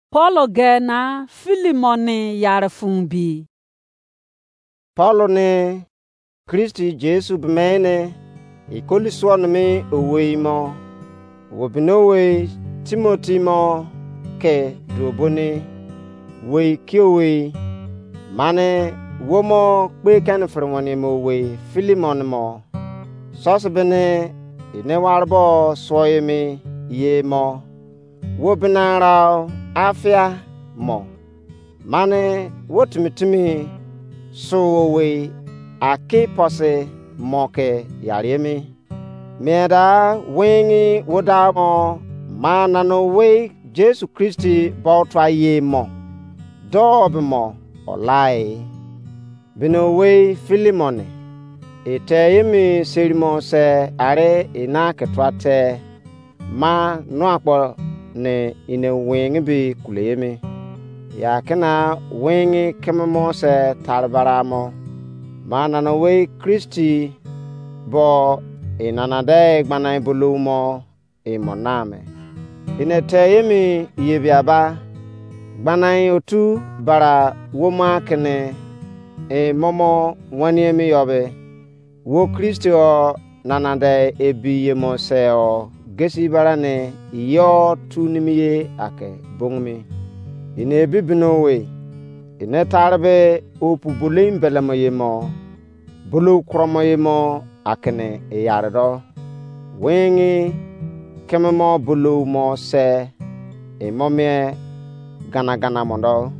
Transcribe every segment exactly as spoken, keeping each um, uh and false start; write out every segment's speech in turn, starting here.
Paul ge na Filimon ni yare fun bi. Paul ni Kristi Jesu bemene ikoli suo nimi owei mo, wo bini owei Timoti mo ke duo boni wei kiowei, mane wo mo kpe keni fere weni mo owei Filimon mo, sose bini ene ware bo suo emi ye mo, wo bina rau afia mo, mane wo timi timi su owei Akiposi mo ke yare emi. Mien da winghi wo da mo, ma nana owei Jesu Kristi bo tua ye mo, do be mo olai. Bini owei Filimon, e te emi seri mo se are e na ke tua te, ma nua kpo ne ene winghi bi kule emi. Ya kena winghi keme mo se tare bara mo, ma nana owei Kristi bo e nana de gbana bolo mo e mo na me. Ene te emi ye bia ba, gbana otu bara wo ma kene e momo wani emi yo be, wo Kristi o nana de ebi ye mo se o gesi bara ne yo tu nimi ye ake bongmi. Ene ebi bino we, ene tare be opu bolou mbelemo ye mo, bolou kromo ye mo akene eyare do, winghi keme mo bolou mo se e mo mie gana gana mo do.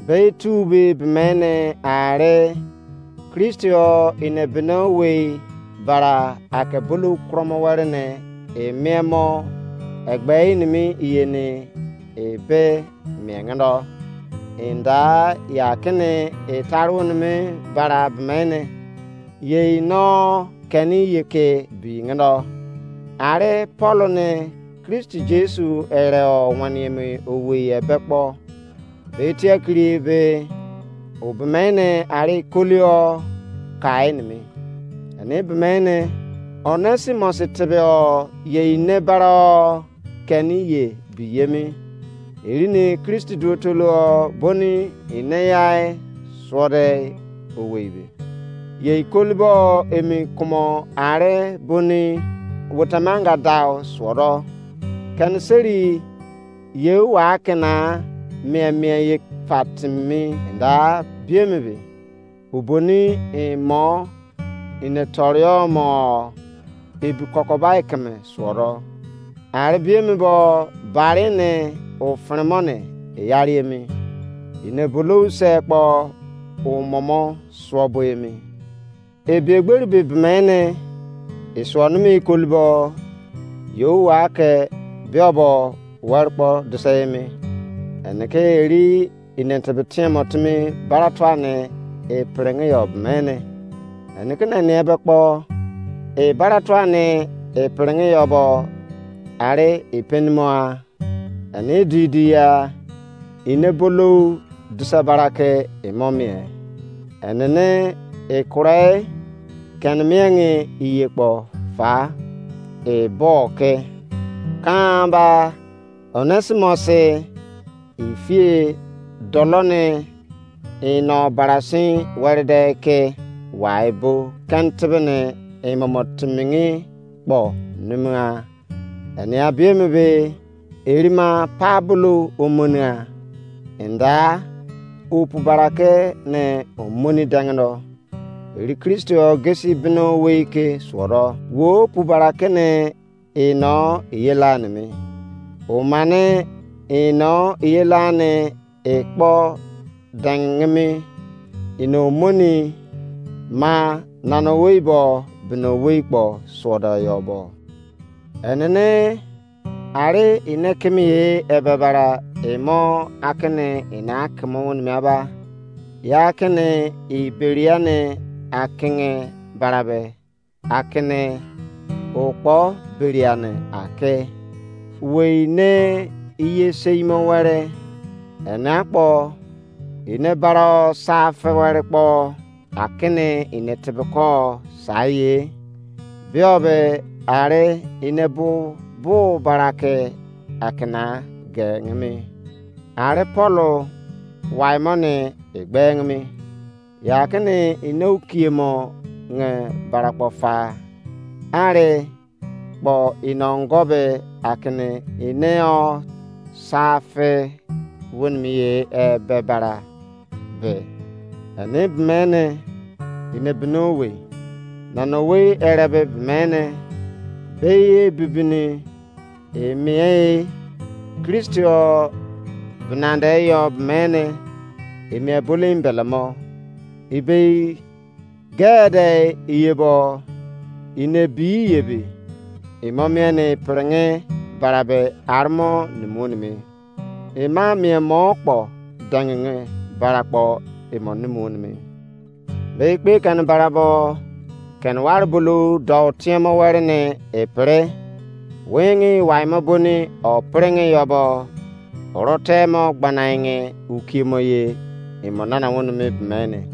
Be tu be bemene are Kristi o ene bino wei bara ake bolou kromo were ne e mie mo egbe inimi iye ne e be mie ngendo. Enda ya kene e tare wonimi bara bemene ye ino keni ye ke bi ngendo. Are Paul ne Kristi Jesu ere o wani emi owei ebe kpo, be tie kiri be o bemene are kolio kai nimi. Ani bemene Onesimos tebe o ye ine bara o keni ye bi yemi. Erini Kristi duo tolo boni ine yai suode owei be. Ye ikolibo emi kumo are boni wotamanga dau suodo. Keni seri ye wa kena mie mie ye fatimi da biemi be. Uboni imo ine torio mo ebi kokobai keme suodo. Ari biemi bo bari ne ofremo ne eyari emi. Ine bolou se kpo umomo suo bo emi. Ebi egberi be bemene isuo nimi ikolibo yo wa ke biobo wari kpo dise emi. Ene ke eri ine tebe tiemo timi bara tua ne e perenge yo bemene. Ene ke nene ebe kpo e bara tua ne e perenge yo bo ari e penimoa. Ene di di ya ine bolou disa bara ke imo mie. Ene ne e kure kene miengi iye kpo fa e bo ke kan ba Onesimos ifie dolo ne ino barasin werede ke wai bo kentebe ne imomo timingi kpo numugha. Enia biemi be erima pa bulu omonigha. Enda opu barake ne omoni dengendo. Eri Kristo gesi bino wei ke suodo. Wo opu barake ne ino iyela nimi. Omane ino iyela ne ekpo dengimi ino moni ma nana owei bo bino owei kpo suodo yo bo. Enene ari ine kimi ye ebe bara imo akini ina akimo wonimi aba. Ya akini iberia ne akinge bara be akini okpo beriane ake. Wei ne iye seimo were ene akpo ine baro sa fe were kpo akini ine tebeko sa ye. Bio be ari ine bu bu barake akina ge ngimi. Ari Pọlụ wai mọ ni egbeng mi, ya kini ine ukie mọ nge barakpọ fa. Ari kpọ ine ongo be akini ine ọ sa fe wenimu ye ebe bara be. Eni bimene ine bini owei, nana owei ere be bimene, be ye bibini emiei Kristi ọ binande yọ bimene, emi ebolo embelemo. Ibei gede iyebo ine bi yebi, imo mien pringe barabe armo numuo nimi. Ima mien mo kpo dengenge bara kpo imo numuo nimi. Be ikpe keni barabo keni wari bulu dou tiemo weri ni epiri. Wengi waimo boni o pringe yobo, orotemo gbanainge ukiemo ye imo nana wonimi bimene.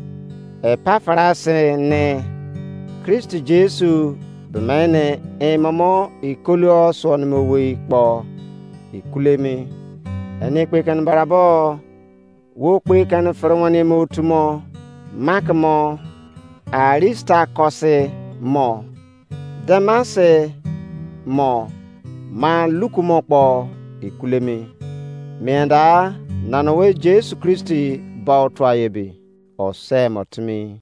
Epafras ne Kristi Jesu bimene imomo ikoluo suonimi owei kpo ikulemi. Eni kpe keni barabo wo kpe keni fere weniemo otu mo, Mak mo, Aristakọs mo, Demas mo, ma Luk mo kpo ikulemi. Mienda nana owei Jesu Kristi ba otua ebi, o se mo timi.